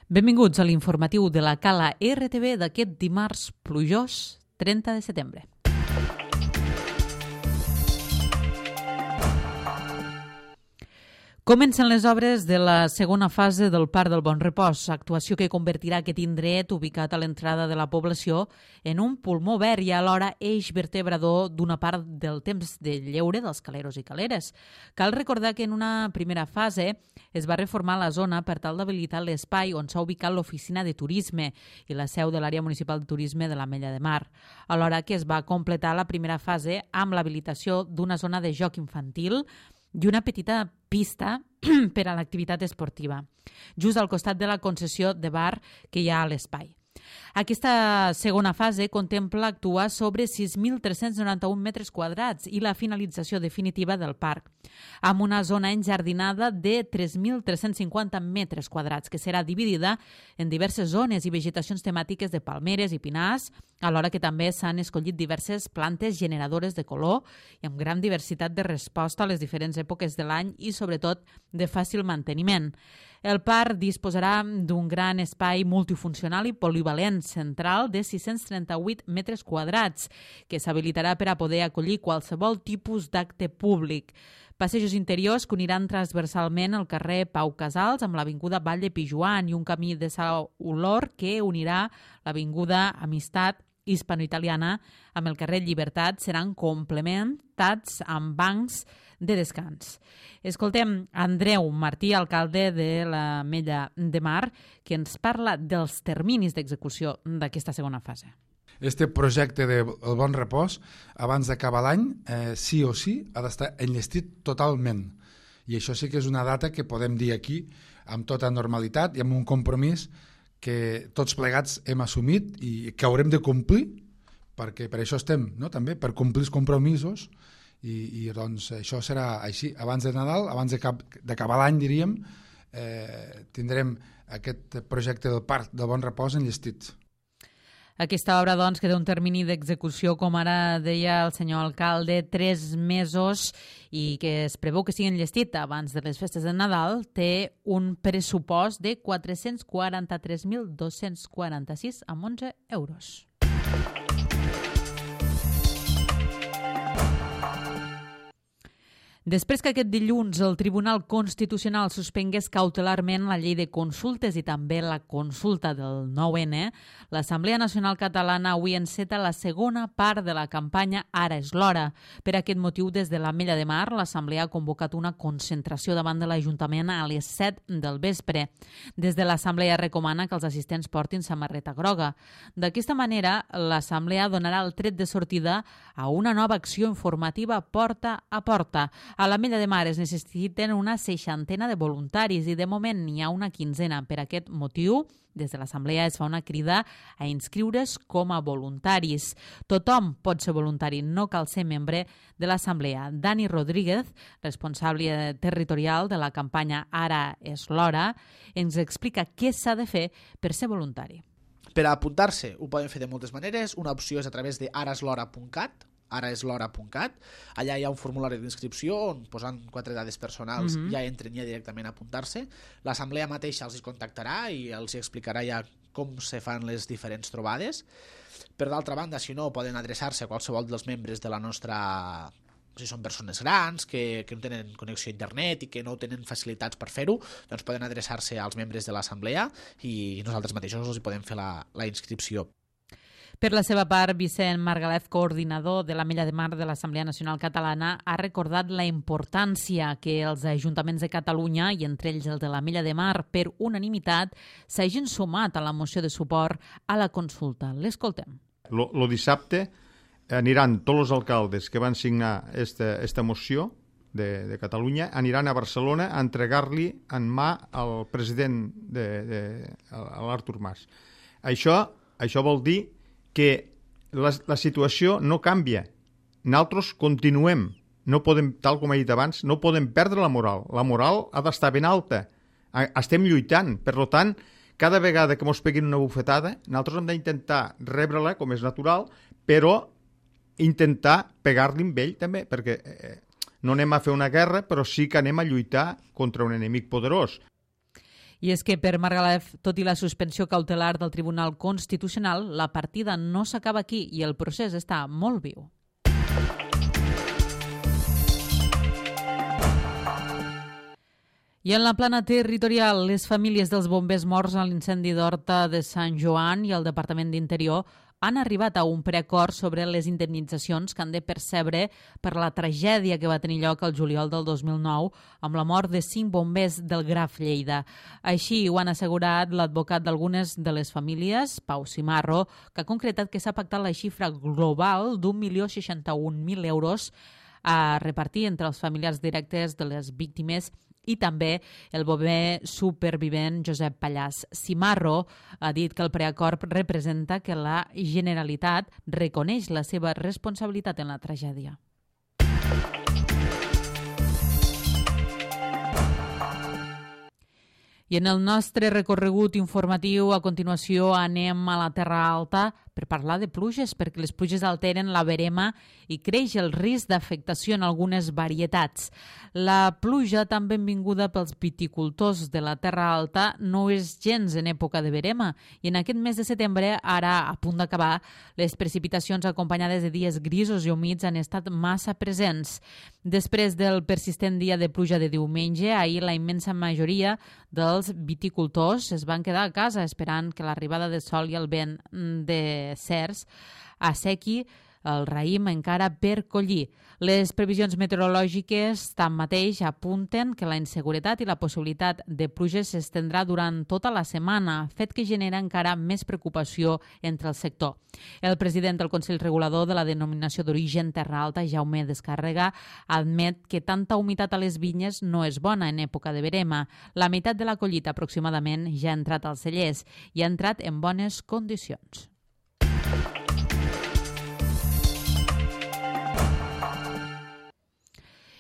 Benvinguts a l'informatiu de la Cala RTV d'aquest dimarts plujós 30 de setembre. Comencen les obres de la segona fase del Parc del Bon Repòs, actuació que convertirà aquest indret ubicat a l'entrada de la població en un pulmó verd i alhora eix vertebrador d'una part del temps de lleure dels caleros i caleres. Cal recordar que en una primera fase es va reformar la zona per tal d'habilitar l'espai on s'ha ubicat l'oficina de turisme i la seu de l'àrea municipal de turisme de l'Ametlla de Mar, alhora que es va completar la primera fase amb l'habilitació d'una zona de joc infantil i una petita pista per a l'activitat esportiva, just al costat de la concessió de bar que hi ha a l'espai. Aquesta segona fase contempla actuar sobre 6.391 metres quadrats i la finalització definitiva del parc, amb una zona enjardinada de 3.350 metres quadrats, que serà dividida en diverses zones i vegetacions temàtiques de palmeres i pinars, alhora que també s'han escollit diverses plantes generadores de color i amb gran diversitat de resposta a les diferents èpoques de l'any i, sobretot, de fàcil manteniment. El parc disposarà d'un gran espai multifuncional i polivalent central de 638 metres quadrats, que s'habilitarà per a poder acollir qualsevol tipus d'acte públic. Passejos interiors que uniran transversalment el carrer Pau Casals amb l'avinguda Vall de Pijuan i un camí de Sa Olor que unirà l'avinguda Amistat hispano-italiana amb el carrer Llibertat seran complementats amb bancs de descans. Escoltem Andreu Martí, alcalde de l'Ametlla de Mar, que ens parla dels terminis d'execució d'aquesta segona fase. Este projecte del Bon Repòs, abans d'acabar l'any, sí o sí, ha d'estar enllestit totalment. I això sí que és una data que podem dir aquí amb tota normalitat i amb un compromís que tots plegats hem assumit i que haurem de complir, perquè per això estem, no? També per complir els compromisos i doncs això serà així. Abans de Nadal, abans d'acabar l'any, diríem, tindrem aquest projecte del Parc del Bon Repòs enllestit. Aquesta obra, doncs, que té un termini d'execució, com ara deia el senyor alcalde, 3 mesos i que es preveu que sigui enllestit abans de les festes de Nadal, té un pressupost de 443.246 amb 11 euros. Després que aquest dilluns el Tribunal Constitucional suspengués cautelarment la llei de consultes i també la consulta del 9N, l'Assemblea Nacional Catalana avui enceta la segona part de la campanya Ara és l'hora. Per aquest motiu, des de l'Ametlla de Mar, l'Assemblea ha convocat una concentració davant de l'Ajuntament a les 7 del vespre. Des de l'Assemblea recomana que els assistents portin samarreta groga. D'aquesta manera, l'Assemblea donarà el tret de sortida a una nova acció informativa porta a porta. A l'Ametlla de Mar es necessiten una 60 de voluntaris i de moment n'hi ha una 15. Per aquest motiu, des de l'Assemblea es fa una crida a inscriure's com a voluntaris. Tothom pot ser voluntari, no cal ser membre de l'Assemblea. Dani Rodríguez, responsable territorial de la campanya Ara és l'hora, ens explica què s'ha de fer per ser voluntari. Per a apuntar-se ho poden fer de moltes maneres. Una opció és a través de araeslhora.cat, araeslhora.cat. Allà hi ha un formulari d'inscripció on posant 4 dades personals ja entren ja directament a apuntar-se. L'assemblea mateixa els contactarà i els explicarà ja com se fan les diferents trobades. Per d'altra banda, si no, poden adreçar-se a qualsevol dels membres de la nostra... Si són persones grans, que no tenen connexió a internet i que no tenen facilitats per fer-ho, doncs poden adreçar-se als membres de l'assemblea i nosaltres mateixos els podem fer la inscripció. Per la seva part, Vicent Margalef, coordinador de l'Ametlla de Mar de l'Assemblea Nacional Catalana, ha recordat la importància que els ajuntaments de Catalunya, i entre ells el de l'Ametlla de Mar, per unanimitat, s'hagin sumat a la moció de suport a la consulta. L'escoltem. Lo dissabte aniran tots els alcaldes que van signar esta moció de Catalunya, aniran a Barcelona a entregar-li en mà al president, a l'Artur Mas. Això vol dir que la situació no canvia. Nosaltres continuem. No podem, tal com he dit abans, no podem perdre la moral. La moral ha d'estar ben alta. Estem lluitant. Per tant, cada vegada que ens peguin una bufetada, nosaltres hem d'intentar rebre-la, com és natural, però intentar pegar-li amb ell també, perquè no anem a fer una guerra, però sí que anem a lluitar contra un enemic poderós. I és que per Margalef, tot i la suspensió cautelar del Tribunal Constitucional, la partida no s'acaba aquí i el procés està molt viu. I en la plana territorial, les famílies dels bombers morts a l'incendi d'Horta de Sant Joan i el Departament d'Interior han arribat a un preacord sobre les indemnitzacions que han de percebre per la tragèdia que va tenir lloc el juliol del 2009 amb la mort de 5 bombers del Graf Lleida. Així ho han assegurat l'advocat d'algunes de les famílies, Pau Cimarro, que ha concretat que s'ha pactat la xifra global d'1.061.000 euros a repartir entre els familiars directes de les víctimes i també el bomber supervivent Josep Pallàs. Cimarro ha dit que el preacord representa que la Generalitat reconeix la seva responsabilitat en la tragèdia. I en el nostre recorregut informatiu, a continuació, anem a la Terra Alta per parlar de pluges, perquè les pluges alteren la verema i creix el risc d'afectació en algunes varietats. La pluja, tan benvinguda pels viticultors de la Terra Alta, no és gens en època de verema i en aquest mes de setembre, ara a punt d'acabar, les precipitacions acompanyades de dies grisos i humits han estat massa presents. Després del persistent dia de pluja de diumenge, ahir la immensa majoria dels viticultors es van quedar a casa esperant que l'arribada de sol i el vent de cerç assequi el raïm encara per collir. Les previsions meteorològiques, tanmateix, apunten que la inseguretat i la possibilitat de pluges s'estendrà durant tota la setmana, fet que genera encara més preocupació entre el sector. El president del Consell Regulador de la Denominació d'Origen Terra Alta, Jaume Descàrrega, admet que tanta humitat a les vinyes no és bona en època de verema. La meitat de la collita, aproximadament, ja ha entrat als cellers i ha entrat en bones condicions.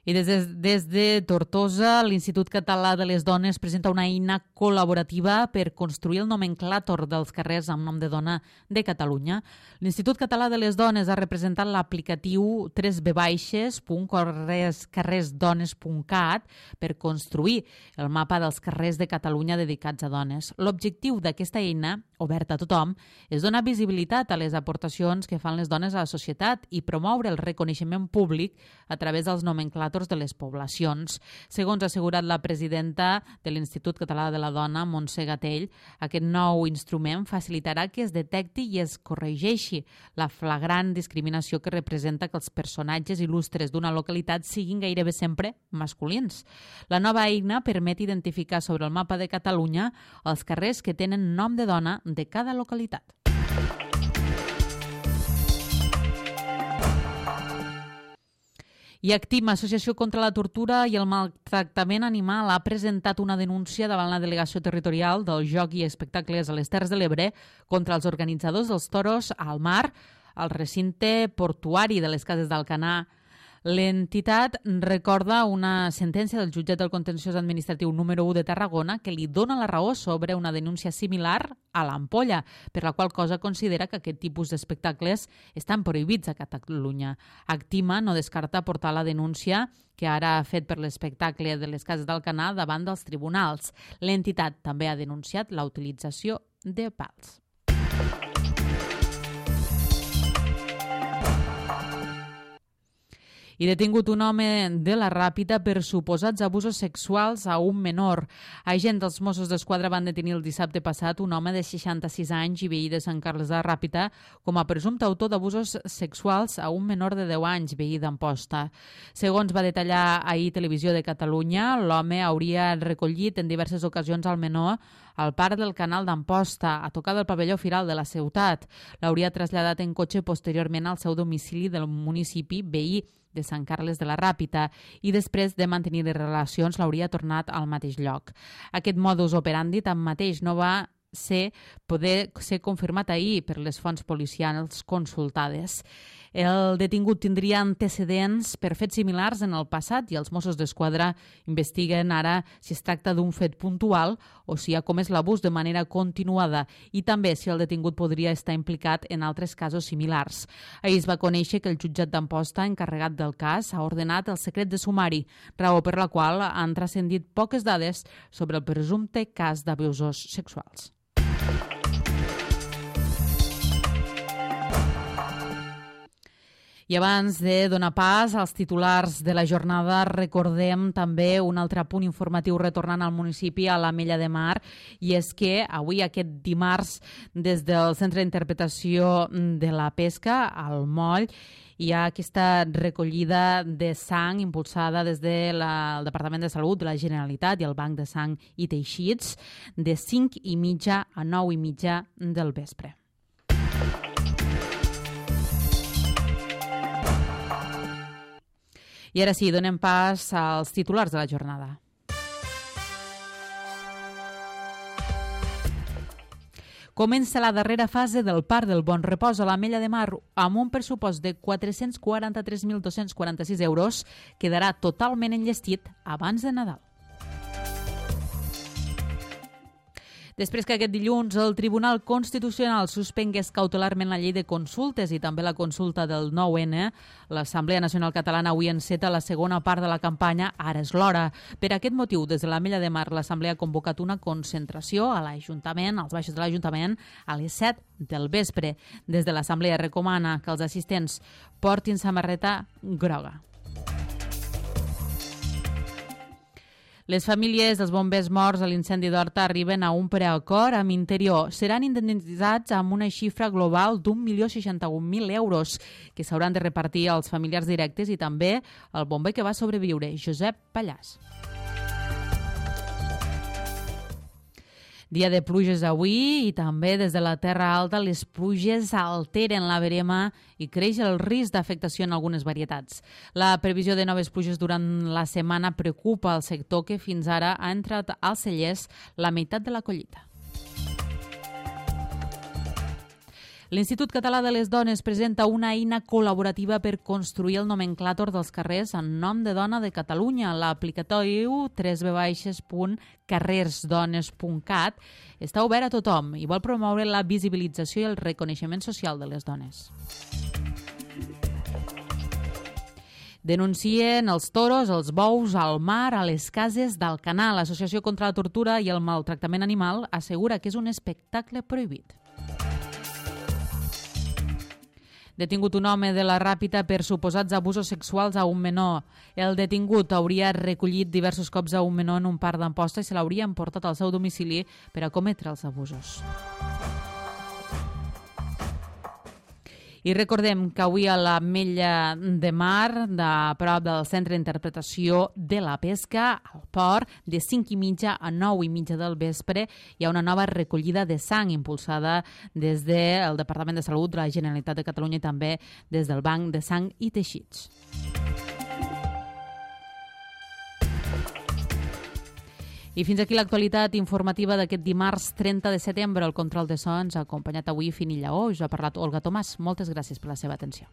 I des de Tortosa, l'Institut Català de les Dones presenta una eina col·laborativa per construir el nomenclàtor dels carrers amb nom de dona de Catalunya. L'Institut Català de les Dones ha representat l'aplicatiu 3v-carrersdones.cat per construir el mapa dels carrers de Catalunya dedicats a dones. L'objectiu d'aquesta eina, oberta a tothom, és donar visibilitat a les aportacions que fan les dones a la societat i promoure el reconeixement públic a través dels nomenclàtors de les poblacions. Segons ha assegurat la presidenta de l'Institut Català de la Dona, Montse Gatell, aquest nou instrument facilitarà que es detecti i es corregeixi la flagrant discriminació que representa que els personatges il·lustres d'una localitat siguin gairebé sempre masculins. La nova eina permet identificar sobre el mapa de Catalunya els carrers que tenen nom de dona de cada localitat. I Actim, Associació contra la Tortura i el Maltractament Animal, ha presentat una denúncia davant la Delegació Territorial del Joc i Espectacles a les Terres de l'Ebre contra els organitzadors dels toros al mar, al recinte portuari de les Cases d'Alcanar. L'entitat recorda una sentència del jutjat del contenciós administratiu número 1 de Tarragona que li dona la raó sobre una denúncia similar a l'Ampolla, per la qual cosa considera que aquest tipus d'espectacles estan prohibits a Catalunya. Actima no descarta portar la denúncia que ara ha fet per l'espectacle de les Cases d'Alcanar davant dels tribunals. L'entitat també ha denunciat la utilització de pals. I detingut un home de la Ràpita per suposats abusos sexuals a un menor. Agents dels Mossos d'Esquadra van detenir el dissabte passat un home de 66 anys i veí de Sant Carles de la Ràpita com a presumpte autor d'abusos sexuals a un menor de 10 anys, veí d'Amposta. Segons va detallar ahir Televisió de Catalunya, l'home hauria recollit en diverses ocasions al menor al parc del Canal d'Amposta, a tocar del pavelló firal de la ciutat. L'hauria traslladat en cotxe posteriorment al seu domicili del municipi veí de Sant Carles de la Ràpita i després de mantenir les relacions l'hauria tornat al mateix lloc. Aquest modus operandi tanmateix no va poder ser confirmat ahir per les fonts policials consultades. El detingut tindria antecedents per fets similars en el passat i els Mossos d'Esquadra investiguen ara si es tracta d'un fet puntual o si ha comès l'abús de manera continuada i també si el detingut podria estar implicat en altres casos similars. Ahir es va conèixer que el jutjat d'Amposta, encarregat del cas, ha ordenat el secret de sumari, raó per la qual han transcendit poques dades sobre el presumpte cas d'abusos sexuals. I abans de donar pas als titulars de la jornada, recordem també un altre punt informatiu retornant al municipi, a l'Ametlla de Mar, i és que avui, aquest dimarts, des del Centre d'Interpretació de la Pesca, al Moll, hi ha aquesta recollida de sang impulsada des del Departament de Salut de la Generalitat i el Banc de Sang i Teixits de 5:30 a 9:30 del vespre. I ara sí, donem pas als titulars de la jornada. Comença la darrera fase del Parc del Bon Repòs a l'Ametlla de Mar amb un pressupost de 443.246 euros. Quedarà totalment enllestit abans de Nadal. Després que aquest dilluns el Tribunal Constitucional suspengués cautelarment la llei de consultes i també la consulta del 9N, l'Assemblea Nacional Catalana avui enceta la segona part de la campanya Ara és l'hora. Per aquest motiu, des de l'Ametlla de Mar, l'Assemblea ha convocat una concentració a l'Ajuntament, als baixos de l'Ajuntament, a les 7 del vespre. Des de l'Assemblea recomana que els assistents portin samarreta groga. Les famílies dels bombers morts a l'incendi d'Horta arriben a un preacord amb Interior. Seran indemnitzats amb una xifra global d'1.061.000 euros que s'hauran de repartir als familiars directes i també al bomber que va sobreviure, Josep Pallàs. Dia de pluges avui i també des de la Terra Alta les pluges alteren la verema i creix el risc d'afectació en algunes varietats. La previsió de noves pluges durant la setmana preocupa el sector que fins ara ha entrat als cellers la meitat de la collita. L'Institut Català de les Dones presenta una eina col·laborativa per construir el nomenclàtor dels carrers en nom de dona de Catalunya. L'aplicatori www.carrersdones.cat està obert a tothom i vol promoure la visibilització i el reconeixement social de les dones. Denuncien els toros, els bous, al mar, a les cases d'Alcanar. L'Associació contra la Tortura i el Maltractament Animal assegura que és un espectacle prohibit. Detingut un home de la Ràpita per suposats abusos sexuals a un menor. El detingut hauria recollit diversos cops a un menor en un parc d'Amposta i se l'hauria emportat al seu domicili per a cometre els abusos. I recordem que avui a l'Ametlla de Mar, de prop del Centre d'Interpretació de la Pesca, al port, de 5:30 a 9:30 del vespre, hi ha una nova recollida de sang impulsada des del Departament de Salut de la Generalitat de Catalunya i també des del Banc de Sang i Teixits. I fins aquí l'actualitat informativa d'aquest dimarts 30 de setembre. El control de so ens ha acompanyat avui Fini Lleó. Us ha parlat Olga Tomàs. Moltes gràcies per la seva atenció.